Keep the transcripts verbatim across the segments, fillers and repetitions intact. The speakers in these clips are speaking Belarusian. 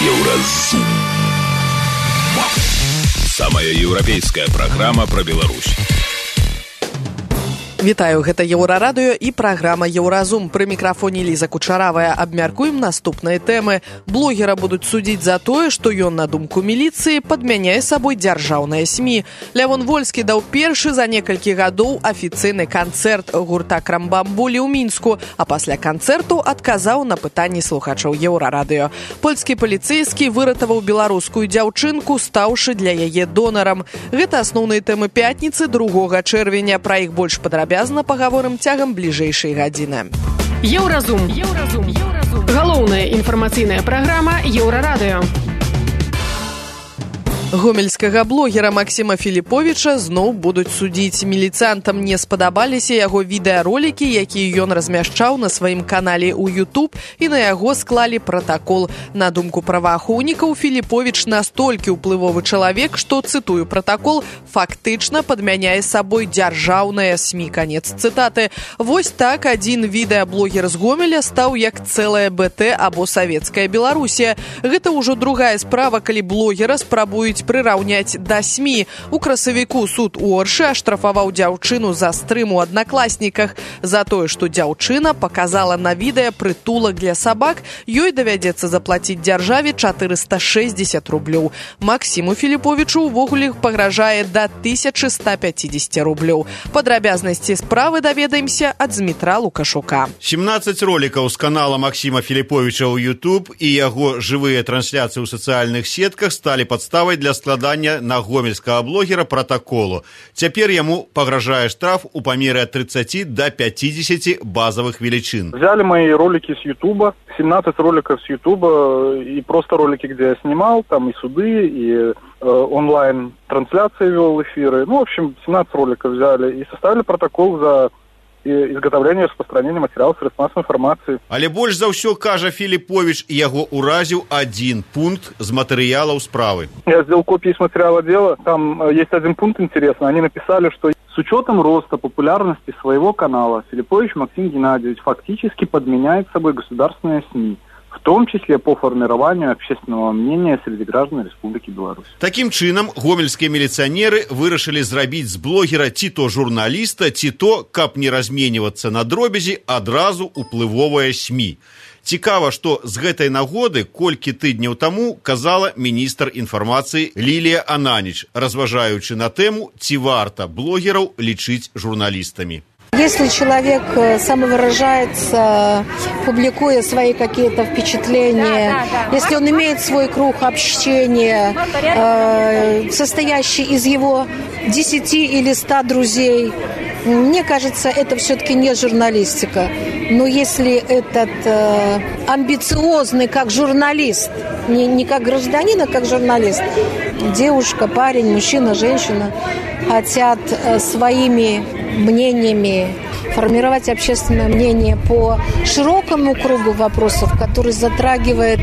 Еўразум. Самая еўрапейская праграма пра Беларусь. Вітаю, гэта Еўрарадыё і праграма «Еўразум». Пры мікрафоне Ліза Кучаравая. Абмяркуем наступныя тэмы. Блогера будуць судзіць за тое, што ён, на думку міліцыі, падмяняе сабой дзяржаўныя СМІ. Лявон Вольскі даў першы за некалькі гадоў афіцыйны канцэрт гурта «Крамбамбулі» ў Мінску, а пасля канцэрту адказаў на пытанні слухачоў Еўрарадыё. Польскі паліцэйскі выратаваў беларускую дзяўчынку, стаўшы для яе донарам. Гэта асноўныя тэмы пятніцы, другога чэрвеня. Пра іх больш падрабязна пагаворым цягам бліжэйшай гадзіны. Еўразум. Еўразум. Еўразум. Галоўная інфармацыйная праграма Еўрарадыё. Гомельскага блогера Максіма Філіповіча зноў будуць судзіць. Міліцыянтам не спадабаліся яго відэаролікі, якія ён размяшчаў на сваім канале ў YouTube, і на яго склалі пратакол. На думку праваахоўнікаў, Філіповіч настолькі ўплывовы чалавек, што, цытую пратакол, фактычна падмяняе сабой дзяржаўныя СМІ. Канец цытаты. Вось так адзін відэаблогер з Гомеля стаў як цэлая БТ або савецкая Беларусія. Гэта ўжо другая справа, калі блогера спрабуюць прыраўняць да СМІ. У красавіку суд у Оршы аштрафаваў дзяўчыну за стрым у аднакласніках. За тое, што дзяўчына паказала на відэа прытулак для сабак, ёй давядзецца заплаціць дзяржаве чатырыста шэсцьдзесят рублёў. Максіму Філіповічу ўвогуле пагражае да тысяча сто пяцьдесят рублёў. Падрабязнасці справы даведаемся ад Змітра Лукашука. сямнаццаць ролікаў з канала Максіма Філіповіча ў YouTube і яго жывыя трансляцыі ў сацыяльных сетках сталі падставай для складання на гомельскага блогера протаколу. Цяпер яму пагражае штраф у памеры ад тридцати до пятидесяти базовых величин. Взяли мои ролики с Ютуба, семнадцать роликов с Ютуба, и просто ролики, где я снимал, там и суды, и э, онлайн-трансляции вел эфиры. Ну, в общем, семнадцать роликов взяли и составили протокол за изготовление и распространение материалов средств массовой информации. Але больш за ўсё, кажа Філіповіч, яго уразіў один пункт з матэрыялаў справы. Я сделал копии с материала дела. Там есть один пункт интересный. Они написали, что с учетом роста популярности своего канала Филиппович Максим Геннадьевич фактически подменяет собой государственные СМИ, в том числе по формированию общественного мнения среди граждан Республики Беларусь. Таким чынам, гомельскія міліцыянеры вырашылі зрабіць з блогера ці то журналіста, ці то, каб не разменьвацца на дробязі, адразу уплывовыя СМІ. Цікава, што з гэтай нагоды колькі тыдняў таму казала міністр інфармацыі Лілія Ананіч, разважаючы на тэму, ці варта блогераў лічыць журналістамі. Если человек самовыражается, публикуя свои какие-то впечатления, да, да, да. Если он имеет свой круг общения, э, состоящий из его десяти или ста друзей, мне кажется, это все-таки не журналистика. Но если этот э, амбициозный как журналист, не, не как гражданин, а как журналист, девушка, парень, мужчина, женщина, хотят э, своими мнениями формировать общественное мнение по широкому кругу вопросов, который затрагивает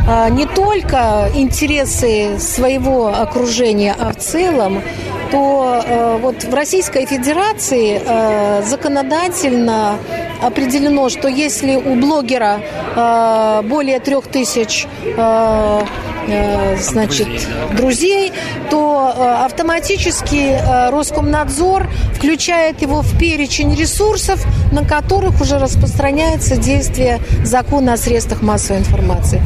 а, не только интересы своего окружения, а в целом, то а, вот в Российской Федерации а, законодательно определено, что если у блогера а, более трех тысяч а, значит, друзей, то автоматически Роскомнадзор включает его в перечень ресурсов, на которых уже распространяется действие закона о средствах массовой информации.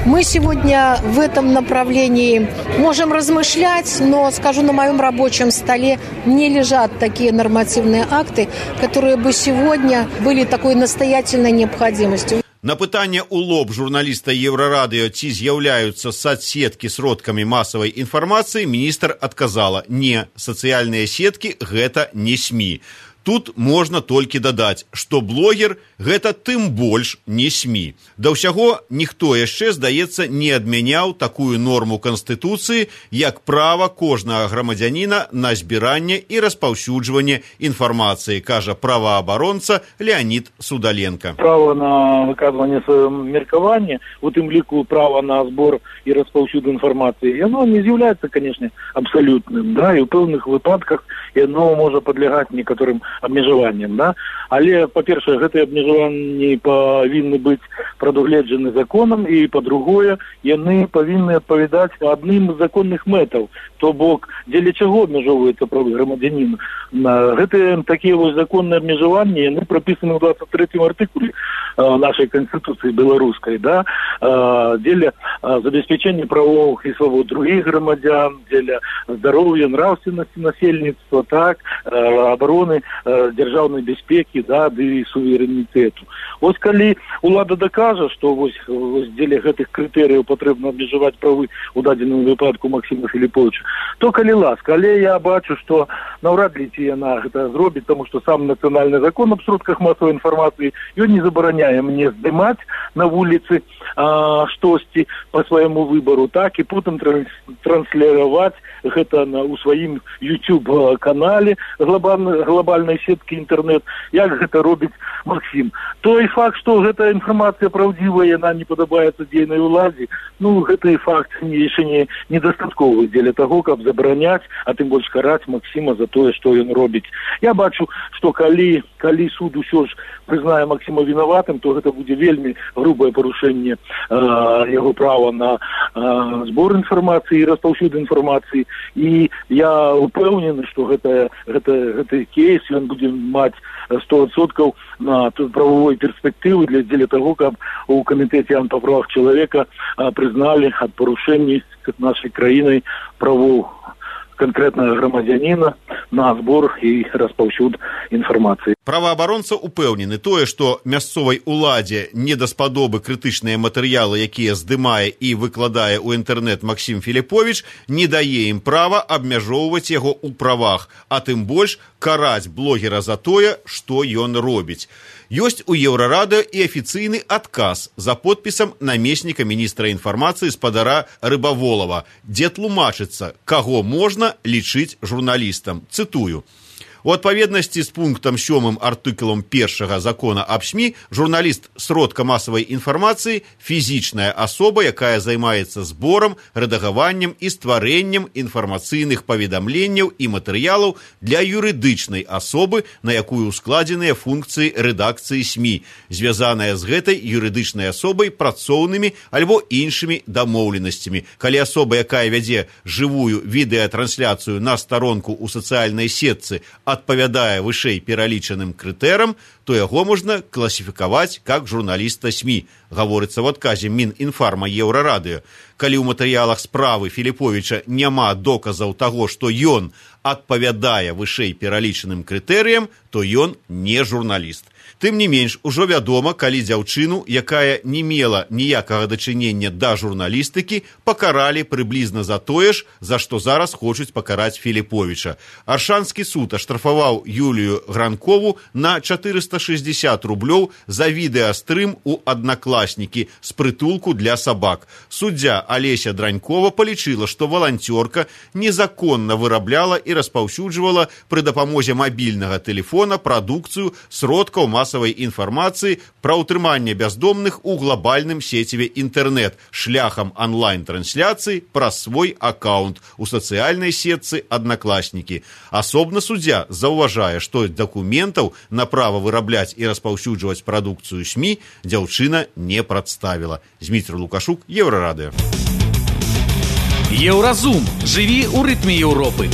Мы сегодня в этом направлении можем размышлять, но, скажу, на моем рабочем столе не лежат такие нормативные акты, которые бы сегодня были такой настоятельной необходимостью. На пытанне ў лоб журналіста Еўрарадыё, ці з'яўляюцца соцсеткі сродкамі масавай інфармацыі, міністр адказала: не, сацыяльныя сеткі гэта не СМІ. Тут можна толькі дадаць, што блогер гэта тым больш не СМІ. Да ўсяго, ніхто яшчэ, здаецца, не адмяняў такую норму Канстытуцыі, як права кожнага грамадзяніна на збіранне і распаўсюджванне інфармацыі, кажа праваабаронца Леонид Судаленко. Право на выказванне свайго меркавання, у тым ліку права на збор і распаўсюд інфармацыі, яно не з'яўляецца, канешне, абсалютным, да, і ў пэўных выпадках яно можа падлягаць некаторым абмежаваннем, да? Але, па-першае, гэтыя абмежаванні павінны быць прадугледжаны законам, і, па-другое, яны павінны адпавядаць адным з законных мэтаў, то бок, дзеля чаго абмежоўваецца правы грамадзяніна. Гэтыя такія вось законныя абмежаванні, яны прапісаны ў двадцать третьем артыкуле нашай Конституцыі беларускай, да? Дзеля забеспячэння правоў і свабод других грамадзян, дзеля здароўя, нравственнасці насельніцтва, так, абароны дзяржаўнай бяспекі, да, ды суверэнітэту. Вось калі улада дакажа, што вось, вось дзеля гэтых крытэрыяў патрэбна абмежаваць правы ў дадзеным выпадку Максіма Філіповіча, то калі ласка, але я бачу, што наўрад ли ці яна гэта зробіць, таму што сам нацыянальны закон аб сродках масавай інфармацыі, ён не забараняе мне здымаць на вуліцы а, штосьці па свайму выбару, так, і потым трансліраваць гэта на, у сваім YouTube-канале глобальнай, глобальнай сеткі інтэрнэт, як гэта робіць Максім. Той факт, што гэта інфармацыя праўдзівая, яна не падабаецца дзейнай уладзе, ну, гэты факт яшчэ не недастатковы дзеля таго, каб забараняць, а тым больш караць Максіма за тое, што ён робіць. Я бачу, што калі, калі суд усё ж прызнае Максіма вінаватым, то гэта будзе вельмі грубае парушэнне э, яго права на э, збор інфармацыі і распаўсюд інфармацыі. І я упэўнены, што гэта, гэта, гэты кейс ён будзе маць сто адсоткаў на правовой перспектывы для дзеля таго, каб у камітэце па правах чалавека э, прызналі ад парушэння нашай краінай правоў конкретного грамадзяніна на збор і распаўсюд інфармацыі. Праваабаронца упэўнены тое, што мясцовай уладзе не даспадобы крытычныя матэрыялы, якія здымае і выкладае ў інтэрнэт Максім Філіповіч, не дае ім права абмяжоўваць яго ў правах, а тым больш караць блогера за тое, што ён робіць. Ёсць у Еўрарадыё і афіцыйны адказ за подпісам намесніка міністра інфармацыі спадара Рыбаволава, дзе тлумачыцца, каго можна лічыць журналістам. Цытую. У адпаведнасці з пунктам сёмым артыкулам першага закона аб СМІ, журналіст сродка масавай інфармацыі – фізічная асоба, якая займаецца зборам, рэдагаваннем і стварэннем інфармацыйных паведамленняў і матэрыялаў для юрыдычнай асобы, на якую складзеныя функцыі рэдакцыі СМІ, звязаныя з гэтай юрыдычнай асобай працоўнымі альбо іншымі дамоўленасцямі. Калі асоба, якая вядзе жывую відэатрансляцыю на старонку ў сацыяльнай сетцы, адпавядае вышэй пералічаным крытэрам, то яго можна класіфікаваць як журналіста СМІ, гаворыцца в адказе Мінінфарма Еўрарадыё. Калі ў матэрыялах справы Філіповіча няма доказаў таго, што ён адпавядае вышэй пералічаным крытэрыям, то ён не журналіст. Тым не менш, ужо вядома, калі дзяўчыну, якая не мела ніякага дачынення да журналістыкі, пакаралі прыблізна за тое ж, за што зараз хочуць пакараць Філіповіча. Аршанскі суд аштрафаваў Юлію Гранкову на чатырыста шэсцьдзесят рублёў за відэастрым у аднакласнікі з прытулку для сабак. Суддзя Алеся Дранькова палічыла, што валанцёрка незаконна вырабляла і распаўсюджвала пры дапамозе мабільнага тэлефона прадукцыю сродкаў масавай інфармацыі пра ўтрыманне бяздомных у глобальным сеціве інтэрнэт шляхам онлайн-трансляцыі праз свой аккаунт у сацыяльнай сетцы «Аднакласнікі». Асобна суддзя заўважае, што дакументаў на права вырабляць і распаўсюджваць прадукцыю СМІ дзяўчына не прадставіла. Зміцер Лукашук, Еўрарадыё. Еўразум. Жыві ў рытме Еўропы.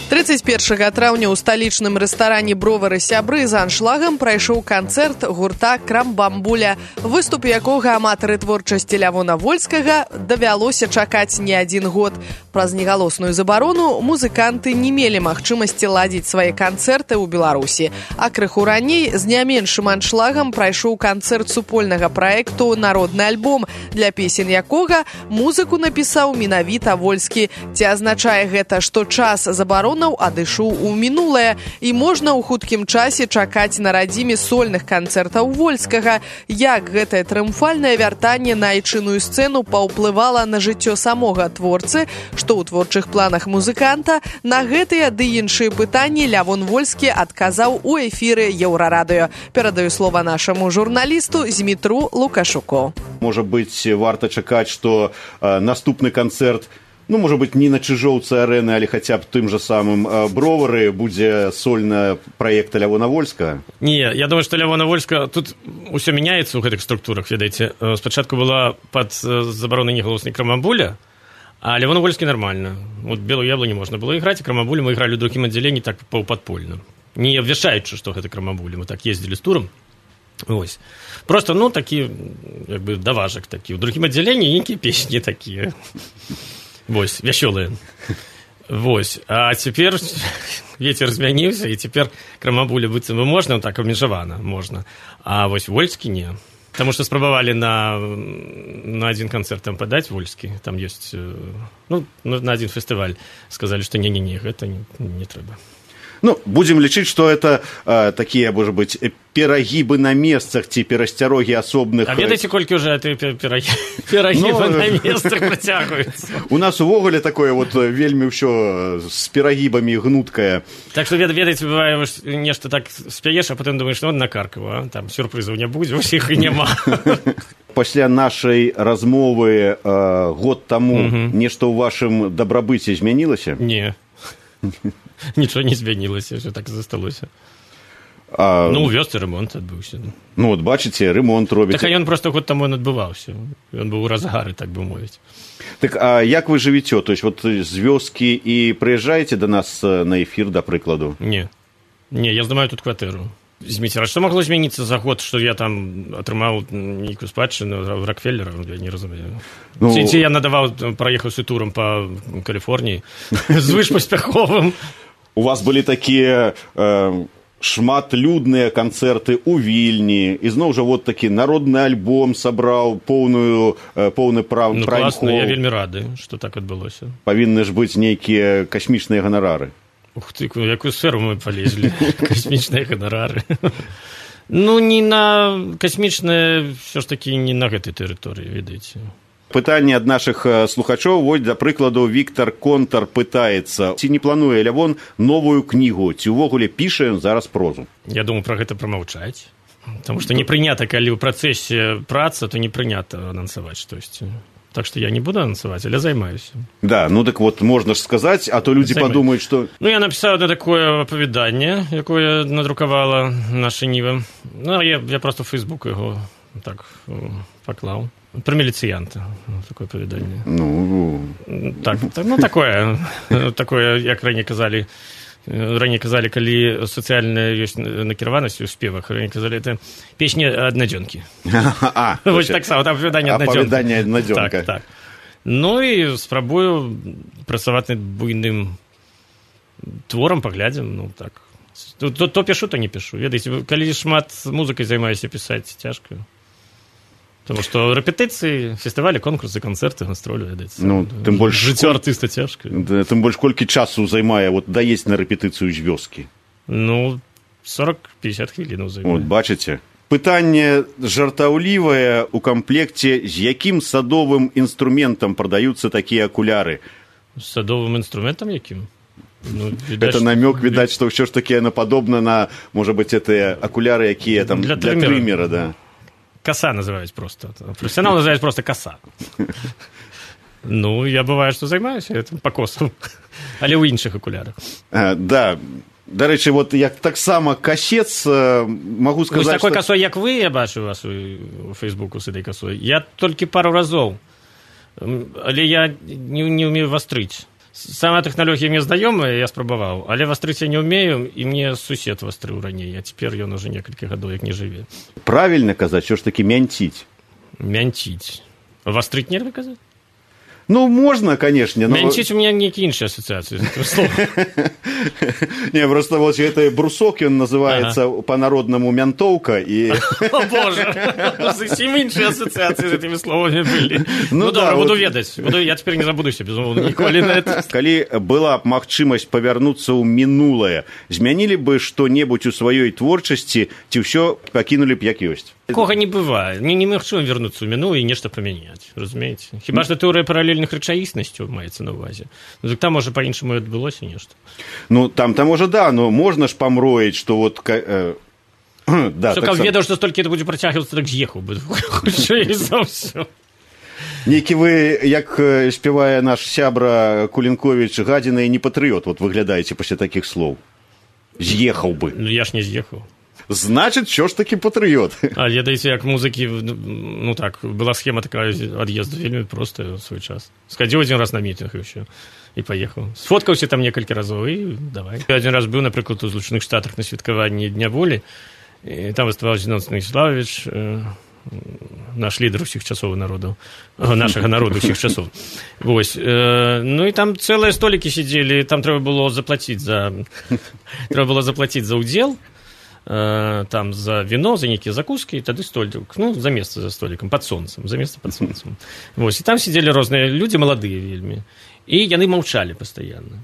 тридцать першага траўня ў сталічным рэстаране «Бровары сябры» за аншлагам прайшоў канцэрт гурта «Крамбамбуля», выступ якога аматары творчасці Лявона Вольскага давялося чакаць не адзін год. Праз негалосную забарону музыканты не мелі магчымасці ладзіць свае канцэрты ў Беларусі. А крыху раней з не меншым аншлагам прайшоў канцэрт супольнага праекту «Народны альбом», для песень якога музыку напісаў менавіта Вольскі. Ці азначае гэта, што час забароны адышоў у мінулае, і можна ў хуткім часе чакаць на радзіме сольных канцэртаў Вольскага. Як гэтае трыумфальнае вяртанне на айчынную сцэну паўплывала на жыццё самога творцы, што ў творчых планах музыканта, на гэтыя ды іншыя пытанні Лявон Вольскі адказаў у эфіры Еўрарадыё. Перадаю слова нашаму журналісту Змітру Лукашуку. Можа быць, варта чакаць, што э, наступны канцэрт ну, можа быць, не на Чыжоўцы арэны, але хаця б тым жа самым Бровары будзе сольна праекта Лявона Вольска? Не, я думаю, што Лявона Вольска, тут усё мяняецца ў гэтых структурах, ведаеце. Спачатку была пад забаронай негалоснай Крамабуля, а Лявона Вольскі нормально. Вот Белую яблоню можна было іграць, а Крамабулю мы ігралі ў другім аддзяленні так паўпадпольна. Не абвяшчаючы, што гэта Крамабуля. Мы так ездзілі з турам. Вось. Просто, ну, такі, як бы, даважак такі. У другім аддзяленні нейкія песні такія. Вось, вясёлыя. Вось. А цяпер вецер змяніўся, і цяпер Крамабуля быццам бы можна, так абмежавана можна. А вось Вольскі не. Таму што спрабавалі на, на адзін канцэрт там падаць Вольскі. Там ёсць, ну, на адзін фестываль. Сказалі, што не-не-не, гэта не, не трэба. Ну, будем лічыць, што это э, такія, можа быць, перагібы на месцах ці перасцярогі асобных... А ведаеце, колькі ўжо перагібы на месцах працягваюцца? У нас увогуле такое вот вельмі ўсё з перагібамі гнуткае. Так што, ведаеце, бывае, нешта так спяеш, а потым думаеш, ну, накаркава, там сюрпрызаў не будзе, усіх і няма. Пасля нашай размовы э, год таму нешта ў вашым дабрабыце змянілася? Не. Нічого не змянілася, що так засталося. А... Ну, у вёсцы ремонт адбыўся. Ну, от бачыце, ремонт робіце. Так, а ён просто год таму адбываўся. Ён быў у разгары, так бы мовіць. Так, а як вы жывіце? То есть, вот з вёскі і прыязджаеце да нас на эфір, да прыкладу? Не. Не, я здымаю тут кватэру. Зміцер, а што магло змяніцца за год, што я там атрымаў нейкую спадчыну Рокфеллера? Я не разумею. Ну... Ці, ці я надаваў, праехаўся турам па Каліфорніі звышпаспяховым. У вас былі такія э, шматлюдныя канцэрты ў Вільні, і зноў жа вот такі народны альбом сабраў поўную, э, поўны прав... Ну, класна, я вельмі рады, што так адбылося. Павінны ж быць нейкія касмічныя ганарары. Ух ты, якую сферу мы полезли. Касмічныя ганарары. Ну, не на касмічныя, все ж таки, не на гэтай тэрыторыі, ведаеце. Пытанне ад нашых слухачоў. Вось, да прыкладу, Віктор Контар пытаецца, ці не плануе Лявон новую кнігу, ці ўвогуле піша ён зараз прозу? Я думаю, пра гэта прамаўчаць. Таму што не прынята, калі ў працэсе праца, то не прынята анансаваць штосьці. Так что я не буду анонсовать, але займаюсь. Да, ну так вот, можно же сказать, а то люди Займаюсь. Подумают, что... Ну, я написал одно такое оповедание, якое надрукавала наша Ніва. Ну, я, я просто в Facebook его так поклал. Про милициянта. Такое оповедание. Ну... Так, ну, такое, такое, як ранее казали... Ранее казали, калі сацыяльная ёсць накіраванасць у спевах, ранее казали, это песня аднадзёнкі. А, вось так само, там апавяданне аднадзёнка. Апавяданне аднадзёнка. Так, так. Ну і спрабую працаваць над буйным творам, паглядзім, ну так. То, то, то пишу, то не пишу. Ведаеце, калі шмат музыкай займаюся, пісаць цяжка. Потому что рэпетыцыі, фестывалі, конкурсы, канцэрты, гастролі, ведаеце. Ну, тым больш жыццё артыста цяжка. Да, тым больш колькі часу займае вот даесць на рэпетыцыю з вёскі? Ну, сорок-пятьдесят хвілінаў займае. Вот, бачыце. Пытанне жартаўлівае у камплекце, з якім садовым інструментам прадаюцца такія акуляры? З садовым інструментам якім? Ну, відаць, это намёк, відаць, што ўсё ж такі яно падобна на, можа быць, гэтыя акуляры, якія там для, для трымера, да. Коса называюсь просто. Профессионал называюсь просто коса. Ну, я бываю, что займаюся этим по косу. Але ў іншых акулярах. А, да. Дарэчы, вот я так само касец могу сказать, вы с такой что... косой, як вы, я бачу вас у Фейсбуку с этой косой. Я только пару разов. Але я не, не умею вострыць. Сама тэхналогія мне знаёмая, я спрабаваў, але вострыць я не умею, і мне сусед вострыў раней, а цяпер ён уже некалькі гадоў як не жыве. Правільна казаць, що ж такі мянціць? Мянціць. Вострыць нельга казаць? Ну, можно, конечно. Но... Мянціць у меня нейкія іншыя асацыяцыі з гэтага слова. Не, просто вот это брусок, он называется ага. по-народному мянтовка. И... О, боже, зусім іншыя асацыяцыі з этими словами были. Ну, ну да, добра, буду вот... ведаць. Буду... Я теперь не забудуся, безумоўна, ніколі на это. Калі была б магчымасць павярнуцца ў мінулае, змянілі бы што-небудзь у сваёй творчасці, ці ўсё пакінулі б як ёсць? Такога не бывае. Мне немагчыма вярнуцца ў мінулае і нешта памяняць, разумееце? Хіба што тэорыя паралельных рэчаіснасцяў маецца на ўвазе. Ну, так там, можа, па-іншаму адбылося нешта. Ну, там, там, можа, да, но можна ж памроіць, што вот... Э, да, што, так каб сам... ведаў, што столькі это будзе працягвацца, так з'ехаў бы. Хутчэй за ўсё. Нейкі вы, як спявае наш сябра Кулінковіч, гадзіна і не патрыёт, вот выглядаеце пасля такіх слоў. З'ехаў бы. Ну, я ж не з'ехаў. Значит, що ж таки патрыёт. А ведаеце, як музыкі, ну так, была схема такая ад'езду, вельмі проста ў свой час. Схадзіў адзін раз на мітынг і ўсё, і паехаў. Сфоткаўся там некалькі разоў, і давай. Я адзін раз быў, напрыклад, у Злучаных Штатах на святкаванні Дня волі, і там выступаў Зінон Станіславович, наш лідар усіх часоў народу, нашага народу усіх часоў. Вось. Ну і там цэлыя столікі сидзелі, там трэба было заплаціць за трэба было заплаціць за ўдзел, там за вино, за некие закуски, тады столик, ну, за место за столиком, под солнцем, за место под солнцем. Вось, и там сидели разные люди, молодые вельми, и яны молчали постоянно.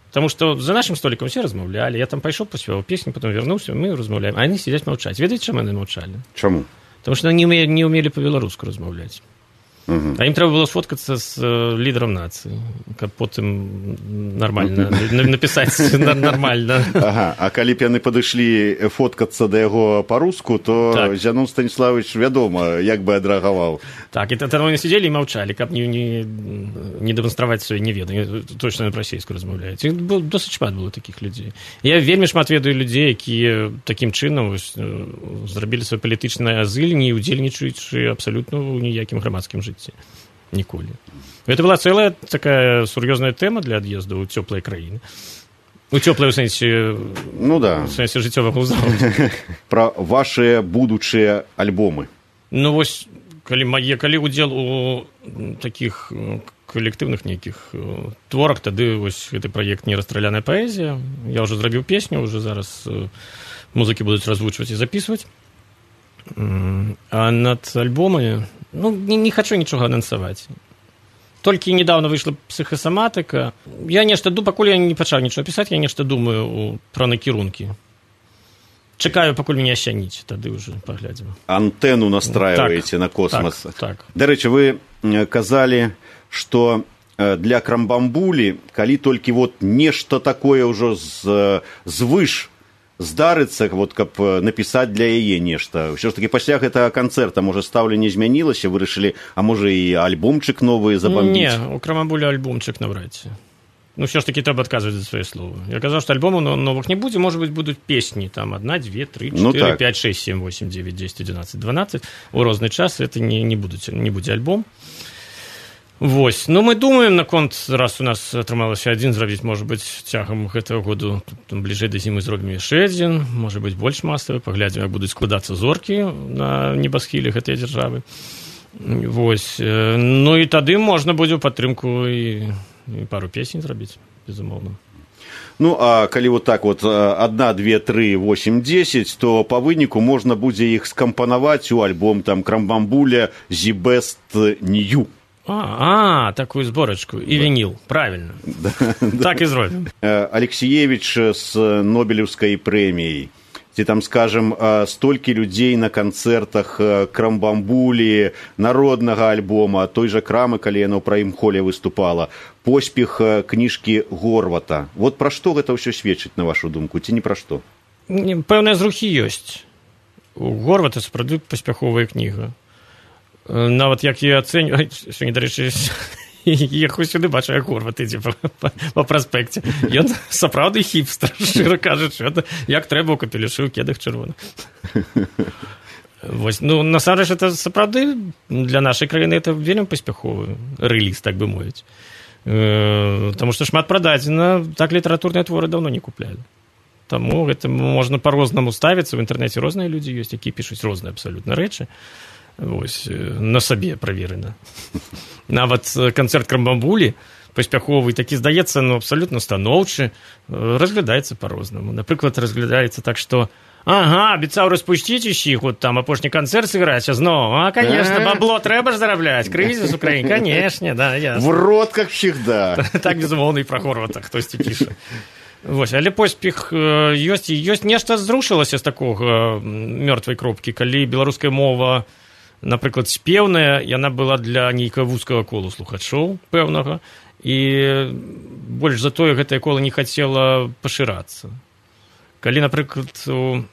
Потому что за нашим столиком все размовляли, я там пошел, поспевал песню, потом вернулся, мы размовляем, а они сидят молчать. Ведаете, чему они молчали? Чему? Потому что они не умели, не умели по-белорусски размовлять. Угу. А им треба было сфоткаться с э, лидером нации, как потом нормально написать нормально. Ага, а калі б яны падышлі фоткацца да яго па-руску, то так. Зянон Станіславович, вядома, як бы адрэагаваў. Так, и тогда они сидели и молчали, как не, не, не демонстровать свои неведания, точно на расійську размовляють. І досить шмат было таких людей. Я вельмі шмат ведаю людей, які таким чином ось, зробили свой політичний азиль, не удзельнічаючи абсолютно у ніякім громадськім житті. Ніколі. Это была целая такая сур'ёзная тема для ад'езду ў цёплыя краіны. У цёплай у сэнсе, ну, да. У сэнсе жыццёвага ўзроўню. Пра вашыя будучыя альбомы. Ну, вось, калі мае, калі удзел у такіх калектыўных нейкіх творах, тады вось гэты праект «Нерастраляная паэзія». Я ўжо зрабіў песню, уже зараз музыкі будуць развучваць і записывать. А над альбомамі, ну, не, не хочу нічога анансаваць. Толькі недавно выйшла псіхасаматыка. Я нешта думаю, пакуль я не пачаў нічога пісаць, я нешта думаю пра накірункі. Чакаю, пакуль мяне асяніць, тады ўжо паглядзім. Антэну настраиваеце так, на космос. Так, так. Дарэчы, вы казалі, што для Крамбамбулі, калі толькі вот нешта такое ўжо з, звыш здарыцца, вот, каб напісаць для яе нешта. Ўсё ж таки пасля гэтага канцэрта, можа, стаўленне змянілася, вырашылі, а можа, і альбомчык новы забамбіць? Не, у Крамбамбуля альбомчык навряд ці. Ну, все ж таки треба отказывать за свои слова. Я сказал, что альбомов новых не будет, может быть, будут песни, там, одна, две, три, четыре, ну, пять, шесть, семь, восемь, девять, десять, одиннадцать, двенадцать. У розный час это не, не, будет, не будет альбом. Вось. Ну, мы думаем, наконт, раз у нас атрымалася адзін зрабіць, может быть, цягам гэтага году, там, бліжэй да зімы зробім яшчэ адзін, может быть, больш масавы, паглядзім, як будуць складацца зоркі на небасхіле гэтай дзяржавы. Вось. Ну, і тады можна будзе ў падтрымку і, і пару песень зрабіць, безумоўна. Ну, а калі вот так вот одна, две, три, восемь, десять, то по выніку можна будзе іх скампанаваць у альбом там Крамбамбуля «The Best New». А, а, такую зборачку. І да. Вініл, правильно. Да, так да. І зробім. Алексеевич з Нобелевскай прэміяй. Ці там, скажем, столькі людзей на канцэртах Крамбамбулі, народнага альбома, той жа Крамы, калі яна ў праім-холе выступала, поспех кніжкі Горвата. Вот пра што гэта ўсё сведчыць, на вашу думку, ці не пра што? Пэўныя зрухі ёсць. У Горвата сапраўды паспяховая кніга. Нават як я ацэню, сёння, дарэчы, ехаў сюды, бачу, як Горват ідзе па, па, па праспекце. Ён сапраўды хіпстер, шчыра кажучы, як трэба ў капелюшы, ў кедах чырвоных. Вось, ну, насамрэч, это сапраўды для нашай краіны это вельмі паспяховы рэліз, так бы мовіць. Таму што шмат прададзена, так літаратурныя творы даўно не куплялі. Таму гэта можна па-рознаму ставіцца, в інтэрнэце розныя людзі ёсць, якія пішуць розныя абсалютна рэчы. Вось, на сабе праверена. Нават канцэрт Крамбамбулі паспяховы такі, здаецца, ну, абсалютна станоўчы, разглядаецца па-рознаму. Напрыклад, разглядаецца так, што ага, абяцаў распусціць усіх, вот там апошні канцэрт сыграць, а зноў, а, конечно, бабло трэба ж зарабляць, крызіс у краіне, конечно, да, ясна. В рот, как всегда. Так, безумоўна, і пра Горвата хтосьці піша. Вось, але поспех ёсць, і ёсць нешта зрушылася з такога мёртвай кропкі, калі беларуская мова, напрыклад, спеўная, яна была для нейкага вузкага колу слухачоў пэўнага, і больш за тое гэтае кола не хацела пашырацца. Калі, напрыклад, у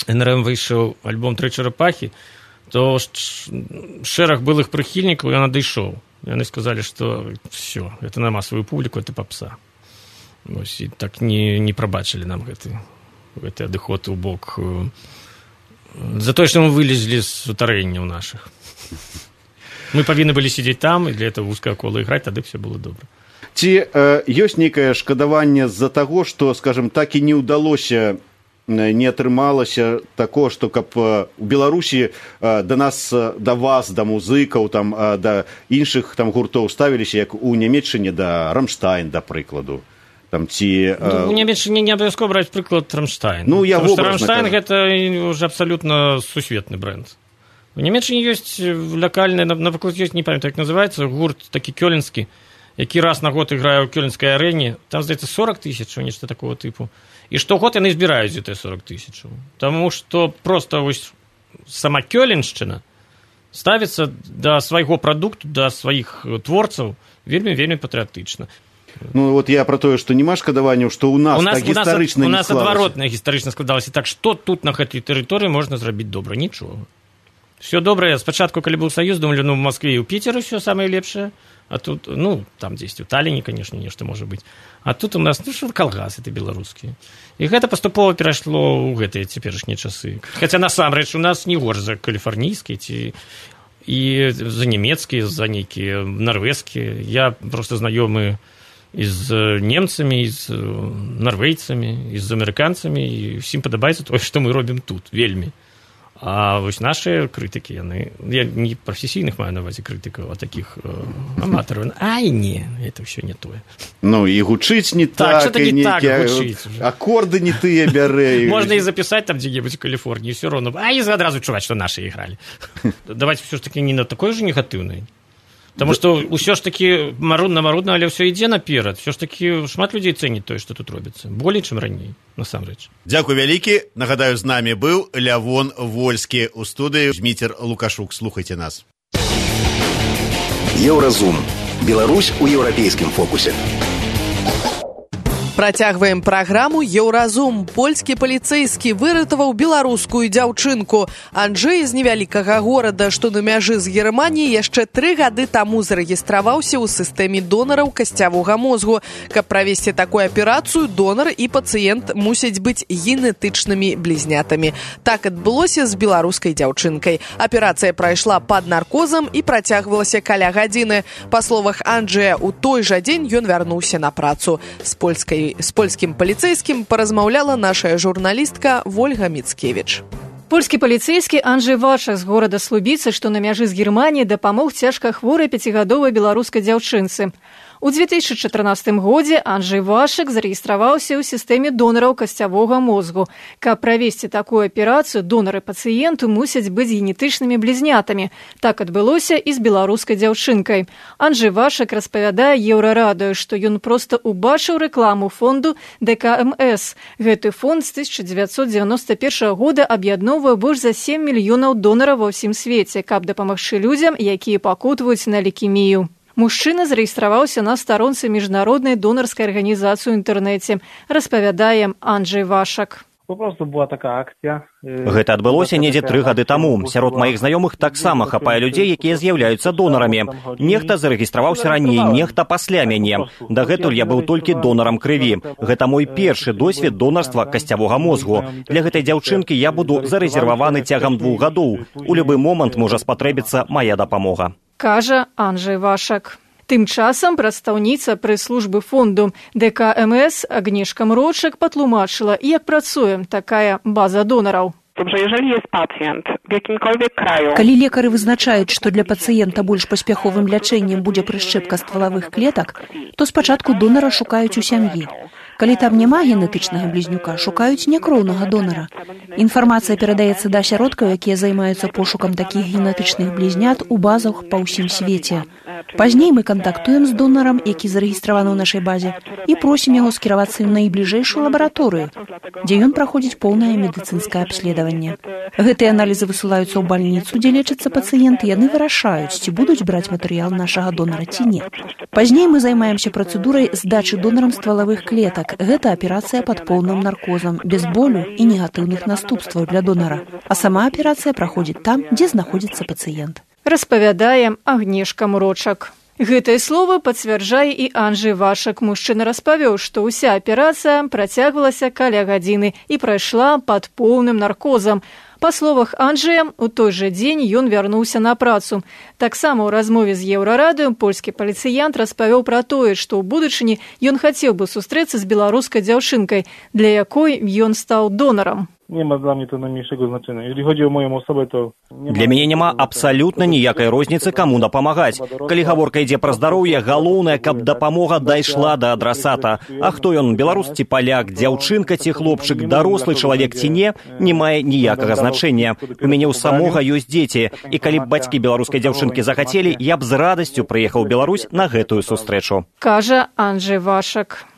эн эр эм выйшаў альбом «Тры чарапахі», то шэраг былых прыхільнікаў ён адышоў. Яны сказалі, што все, это на масавую публіку, это попса. Вось, і так не, не прабачылі нам гэты, гэты адыход у бок за тое, што мы вылезлі з сутарэнняў нашых. Мы павінны былі сидзець там, і для этого вузкае кола іграць, тады все было добра. Ці э, ёсць нейкае шкадаванне з-за таго, што, скажем, так і не ўдалося, не атрымалася такое, што каб у Беларусі да нас, да вас, да музыкаў, там, да іншых там гуртоў ставіліся, як у Нямецчыне да Рамштайн, да прыкладу. Там, ці, ну, у Нямецчыне не абавязкова браць прыклад Рамштайн. Ну, я Потому што Рамштайн гэта ўжо абсалютна сусветны бренд. У Нямецчыне ёсць лакальны, напрыклад, ёсць, не памятаю, як называецца, гурт такі кёльнскі, які раз на год іграе ў кёльнскай арэне. Там, здаецца, сорок тысяч, нешта такого тыпу. І штогод яны збіраюць гэтыя сорок тысяч. Таму што проста вось сама Кёленшчына ставіцца да свайго прадукту, да сваіх творцаў вельмі-вельмі патрыятычна. Ну, вот я про тое, што няма шкадаванняў, што ў нас, у нас так гістарычна у не нас склалася. адваротна гістарычна складалася. Так што тут на гэтай тэрыторыі можна зрабіць добра? Нічога. Все добрае. Спачатку, калі быў Саюз, думалі, ну, в Москве і ў Піцеры все самае лепшае. А тут, ну, там дзесьці, у Талліне, конечно, нешта можа быць. А тут у нас, ну, што калгасы ты беларускія. І гэта паступова перайшло ў гэтыя цяперашнія часы. Хаця, насамрэч, у нас не горш за каліфарнійскія ці і за нямецкія, за нейкія нарвежскія. Я проста знаёмы і з немцамі, і з нарвейцамі, і з амерыканцамі, і ўсім падабаецца тое, што мы робім тут, вельмі. А вось нашыя крытыкі, яны, я не прафесійных маю на ўвазе крытыкаў, а такіх э, аматараў. Ай, не, это ўсё не тое. Ну, і гучыць не так, так і нейкія так, акорды не тыя бярэ. Можна і запісаць там дзе-небудзь у Каліфорніі, ўсё роўна. А і адразу чуваць, што нашы ігралі. Давайте ўсё ж такі не на такой же негатыўнай. Таму што ўсё ж такі марудна-марудна, але ўсё ідзе наперад. Ўсё ж такі шмат людзей цэніць тое, што тут робіцца. Болей, чым раней, насамрэч. Дзякуй вялікі. Нагадаю, з намі быў Лявон Вольскі. У студыі Зміцер Лукашук. Слухайце нас. Еўразум. Беларусь у еўрапейскім фокусе. Працягваем праграму «Еўразум». Польскі паліцэйскі выратаваў беларускую дзяўчынку. Анджэй з невялікага горада, што на мяжы з Германіяй, яшчэ тры гады таму зарэгістраваўся ў сістэме донараў касцявога мозгу. Каб правесці такую аперацыю, донар і пацыент мусяць быць генетычнымі блізнятамі. Так адбылося з беларускай дзяўчынкай. Аперацыя прайшла пад наркозам і працягвалася каля гадзіны. Па словах Анджэя, у той жа дзень ён вярнуўся на працу. З польскай З польскім паліцэйскім паразмаўляла нашая журналістка Вольга Міцкевіч. Польскі паліцэйскі Анджэй Вашак з горада Слубіцы, што на мяжы з Германіяй, дапамог цяжка хворай пяцігадовай беларускай дзяўчынцы. У две тысячи чатырнаццатым годзе Анджэй Вашак зарэгістраваўся ў сістэме донараў касцявога мозгу. Каб правесці такую аперацыю, донары пацыенту мусяць быць генетычнымі блізнятамі. Так адбылося і з беларускай дзяўчынкай. Анджэй Вашак распавядае Еўрарадыё, што ён проста убачыў рэкламу фонду дэ ка эм эс. Гэты фонд з тысяча дзевяцьсот дзевяноста першага года аб'ядноўвае больш за сем мільёнаў донараў ва ўсім свеце, каб дапамагчы людзям, якія пакутваюць на лейкемію. Мужчына зарэгістраваўся на старонцы міжнароднай донарскай арганізацыі ў інтэрнэце, распавядае Анджэй Вашак. Гэта адбылося недзе тры гады таму. Сярод маіх знаёмых таксама хапае людзей, якія з'яўляюцца донарамі. Нехта зарэгістраваўся раней, нехта пасля мяне. Дагэтуль я быў толькі донарам крыві. Гэта мой першы досвед донарства касцявога мозгу. Для гэтай дзяўчынкі я буду зарэзерваваны цягам двух гадоў. У любы момант можа спатрэбіцца мая дапамога. Кажа Анджэй Вашак. Тым часам прадстаўніца прэс-службы фонду дэ ка эм эс Агнешка Мрочак патлумачыла, як працуе такая база донараў. Калі лекары вызначаюць, што для пацыента больш паспяховым лячэннем будзе прышчэпка ствалавых клетак, то спачатку донара шукаюць у сям'і. Калі там няма генетычнага блізнюка, шукаюць някроўнага донара. Інфармацыя перадаецца да асяродкаў, якія займаюцца пошукам такіх генетычных блізнят у базах па ўсім свеце. Пазней мы кантактуем з донарам, які зарэгістраваны ў нашай базе, і просім яго скіравацца ў найбліжэйшую лабараторыю, дзе ён праходзіць поўнае медыцынскае абследаванне. Гэтыя аналізы высылаюцца ў бальніцу, дзе лечацца пацыенты, яны вырашаюць, ці будуць браць матэрыял нашага донара ці не. Пазней мы займаемся працэдурай здачы донарам ствалавых клетак, Так, гэта аперацыя пад поўным наркозам, без болю і негатыўных наступстваў для донара. А сама аперацыя праходзіць там, дзе знаходзіцца пацыент. Распавядае Агнешка Мурочак. Гэтае слово пацвярджае і Анджэй Вашак. Мужчына распавёў, што ўся аперацыя працягвалася каля гадзіны і прайшла пад поўным наркозам. Па словах Анджэя, у той жа дзень ён вярнуўся на працу. Таксама ў размове з Еўрарадыё польскі паліцыянт распавёў пра тое, што ў будучыні ён хацеў бы сустрэцца з беларускай дзяўчынкай, для якой ён стаў донарам. Nie ma dla mnie to najmniejszego znaczenia. Jeżeli chodzi o moją osobę, to... Для мяне няма абсалютна ніякай розніцы, каму дапамагаць. Калі гаворка ідзе пра здароўе, галоўнае, каб дапамога дайшла да адрасата. А хто ён, беларус ці паляк, дзяўчынка ці хлопчык, дарослы чалавек ці не, не мае ніякага значэння. У мяне ў самога ёсць дзеці, і калі б бацькі беларускай дзяўчынкі захацелі, я б з радасцю прыехаў у Беларусь на гэтую сустрэчу. Кажа Анджэй Вашак.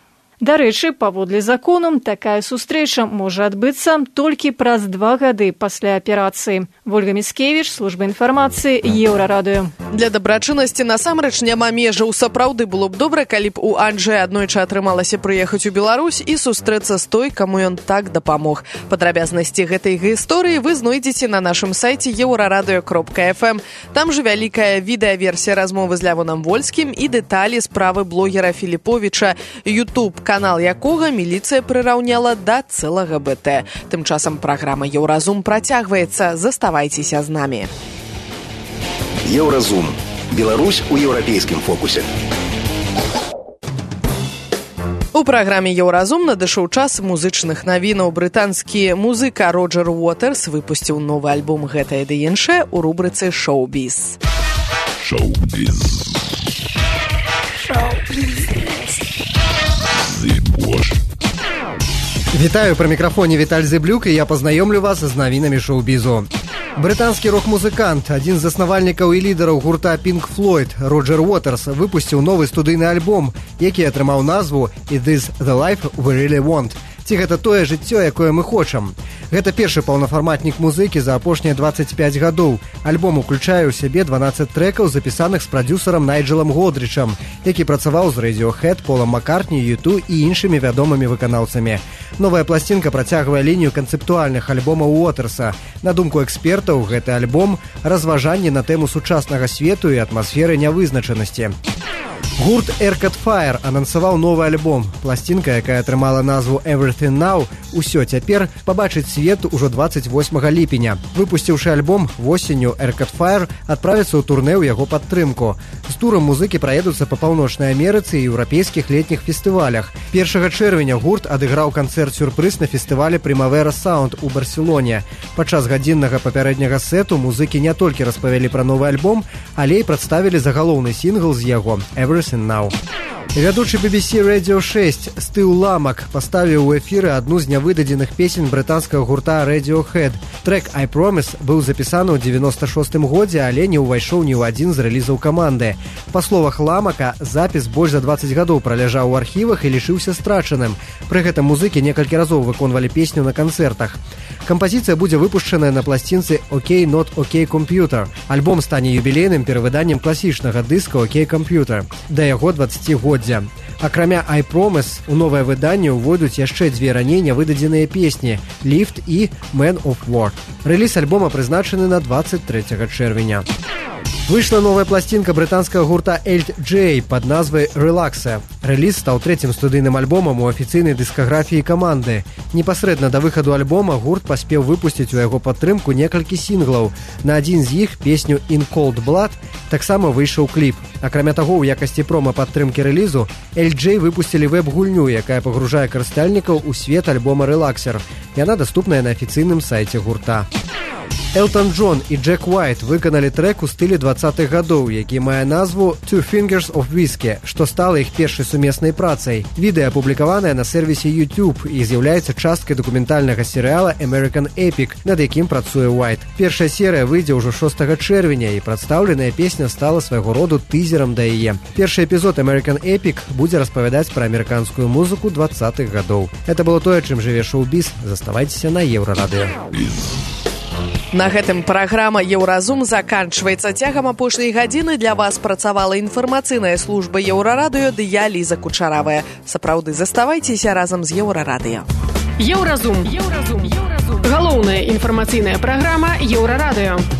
Дарэчы, паводле закону, такая сустрэча можа адбыцца толькі праз два гады пасля аперацыі. Вольга Міскевіч, служба інфармацыі, Еўрарадыё. Для дабрачыннасці насамрэч няма межаў. Сапраўды было б добра, калі б у Анджэя аднойчы атрымалася прыехаць у Беларусь і сустрэцца з той, каму ён так дапамог. Падрабязнасці гэтай гісторыі вы знойдзеце на нашым сайце еўрарадыё кропка эф эм. Там жа вялікая відэаверсія размовы з Лявонам Вольскім і дэталі справы блогера Філіповіча, YouTube, канал якога міліцыя прыраўняла да цэлага бэ тэ. Тым часам праграма «Еўразум» працягваецца. Заставайцеся з намі. Еўразум. Беларусь у еўрапейскім фокусе. У праграме «Еўразум» надышоў час музычных навінаў. Брытанскі музыка Роджер Уотерс выпусціў новы альбом «Гэтае ды іншае» у рубрыцы «Шоу-біз». Шоу-біз. Шоу-біз. Вітаю, пры мікрафоне Віталь Зыблюк, і я пазнаёмлю вас з навінамі шоу-бізу. Брытанскі рок-музыкант, адзін з заснавальнікаў і лідараў гурта Pink Floyd, Роджер Уотерс, выпусціў новы студыйны альбом, які атрымаў назву «Is this the life we really want?» Ці гэта тое жыццё, якое мы хочам. Гэта першы паўнафарматнік музыкі за апошнія дваццаць пяць гадоў. Альбом уключае ў сябе дванаццаць трэкаў, запісаных з прадзюсарам Найджэлам Годрычам, які працаваў з Radiohead, Полам Маккартні, ю ту і іншымі вядомымі выканаўцамі. Новая пласцінка працягвае лінію канцэптуальных альбомаў Уотерса. На думку экспертаў, гэты альбом – разважанне на тэму сучаснага свету і атмасферы нявызначанасці. Гурт Arcade Fire анансаваў новы альбом. Пласцінка, якая атрымала назву «Everything Now», «Усё цяпер», пабачыць свет ужо дваццаць восьмага ліпеня. Выпусціўшы альбом, восенню Arcade Fire адправіцца ў турнэ ў яго падтрымку. З турам музыкі праедуцца па Паўночнай Амерыцы і еўрапейскіх летніх фестывалях. першага чэрвеня гурт адыграў канцэрт-сюрпрыз на фестывале «Primavera Sound» у Барселоне. Падчас гадзіннага папярэдняга сету музыкі не толькі распавялі пра новы альбом, але і прадставілі загалоўны сінгл з яго «Everything Now». Вядучы би би сі Radio шэсць Стыў Ламак паставіў у эфіры адну з нявыдадзеных песень брытанскага гурта Radiohead. Трэк «I Promise» быў запісаны ў дзевяноста шостым годзе, але не ўвайшоў ні ў адзін з рэлізаў каманды. Па словах Ламака, запіс больш за дваццаць гадоў праляжаў у архівах і лішыўся страчаным. Пры гэтым музыкі некалькі разоў выконвалі песню на канцэртах. Кампазіцыя будзе выпушчаная на пласцінцы «OK Not OK Computer». Альбом стане юбілейным перавыданнем класічнага дыска «OK Computer» да яго дваццацігоддзя. Акрамя «I Promise» у новае выданне ўвойдуць яшчэ дзве раней нявыдадзеныя песні «Lift» і «Man of War». Рэліз альбома прызначаны на дваццаць трэцяга чэрвеня. Выйшла новая пласцінка брытанскага гурта Эльт Джей пад назвай «Релаксе». Рэліз стаў трэцім студыйным альбомам у афіцыйнай дыскаграфіі каманды. Непасрэдна да выхаду альбома гурт паспеў выпусціць у яго падтрымку некалькі сінглаў. На адзін з іх, песню «In Cold Blood», таксама выйшаў кліп. Акрамя таго, у якасці прома-падтрымкі рэлізу Эльт Джей выпусцілі вэб-гульню, якая пагружае карыстальнікаў у свет альбома «Релаксер». Яна даступная на афіцыйным сайце гурта. Элтон Джон і Джек Уайт выканалі трэк у стылі дваццатых гадоў, які мае назву «Two Fingers of Whiskey», што стала іх першай сумеснай працай. Відэа апублікаванае на сервісе YouTube і з'яўляецца часткай дакументальнага серыяла «American Epic», над якім працуе Уайт. Першая серыя выйдзе ўжо шостага чэрвеня, і прадстаўленая песня стала свайго роду тызерам да яе. Першы эпізод «American Epic» будзе распавядаць пра амерыканскую музыку дваццатых гадоў. Это было тое, чым жыве шоу-біз. Заставайцеся на Еўрарадыё. На гэтым праграма «Еўразум» заканчваецца. Цягам апошняй гадзіны для вас працавала інфармацыйная служба Еўрарадыё ды я, Ліза Кучаравая. Сапраўды, заставайцеся разам з Еўрарадыё. Еўразум. Еўразум. Галоўная інфармацыйная праграма Еўрарадыё.